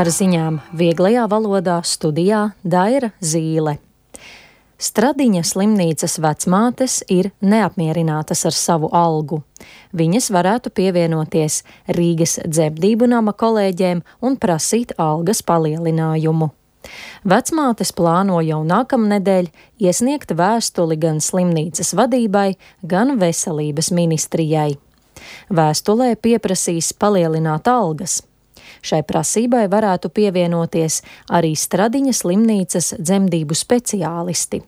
Ar ziņām vieglajā valodā studijā Daira Zīle. Stradiņa slimnīcas vecmātes ir neapmierinātas ar savu algu. Viņas varētu pievienoties Rīgas dzemdību nama kolēģiem un prasīt algas palielinājumu. Vecmātes plāno jau nākamnedēļ iesniegt vēstuli gan slimnīcas vadībai, gan veselības ministrijai. Vēstulē pieprasīs palielināt algas. Šai prasībai varētu pievienoties arī Stradiņa slimnīcas dzemdību speciālisti.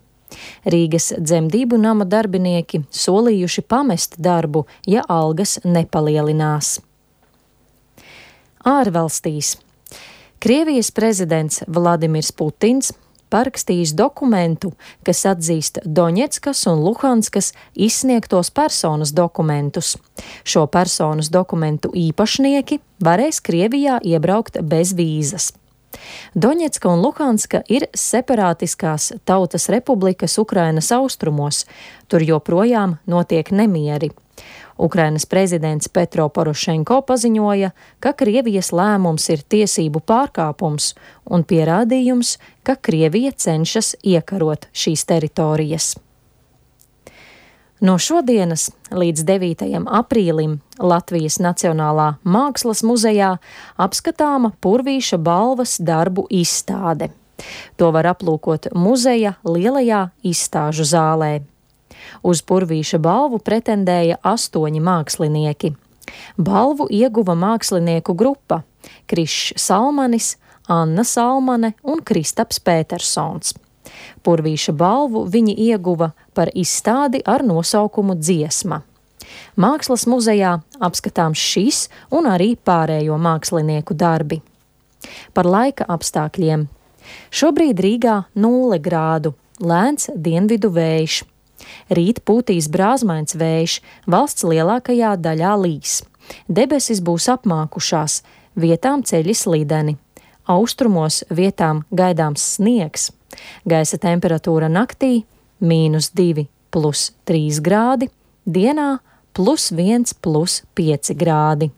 Rīgas dzemdību nama darbinieki solījuši pamest darbu, ja algas nepalielinās. Ārvalstīs. Krievijas prezidents Vladimirs Putins parakstījis dokumentu, kas atzīst Doņetskas un Luhanskas izsniegtos personas dokumentus. Šo personas dokumentu īpašnieki varēs Krievijā iebraukt bez vīzas. Doņetska un Luhanska ir separātiskās tautas republikas Ukrainas austrumos, tur joprojām notiek nemieri. Ukrainas prezidents Petro Porošenko paziņoja, ka Krievijas lēmums ir tiesību pārkāpums un pierādījums, ka Krievija cenšas iekarot šīs teritorijas. No šodienas līdz 9. aprīlim Latvijas Nacionālā mākslas muzejā apskatāma Purvīša balvas darbu izstāde. To var aplūkot muzeja lielajā izstāžu zālē. Uz Purvīša balvu pretendēja 8 mākslinieki. Balvu ieguva mākslinieku grupa – Krišs Salmanis, Anna Salmane un Kristaps Pētersons. Purvīša balvu viņi ieguva par izstādi ar nosaukumu Dziesma. Mākslas muzejā apskatāms šis un arī pārējo mākslinieku darbi. Par laika apstākļiem. Šobrīd Rīgā 0 grādu, lēns dienvidu vējš. Rīt pūtīs brāzmains vējš, valsts lielākajā daļā līs. Debesis būs apmākušās, vietām ceļi slideni. Austrumos vietām gaidāms sniegs. Gaisa temperatūra naktī -2 + 3 grādi, dienā +1 + 5 grādi.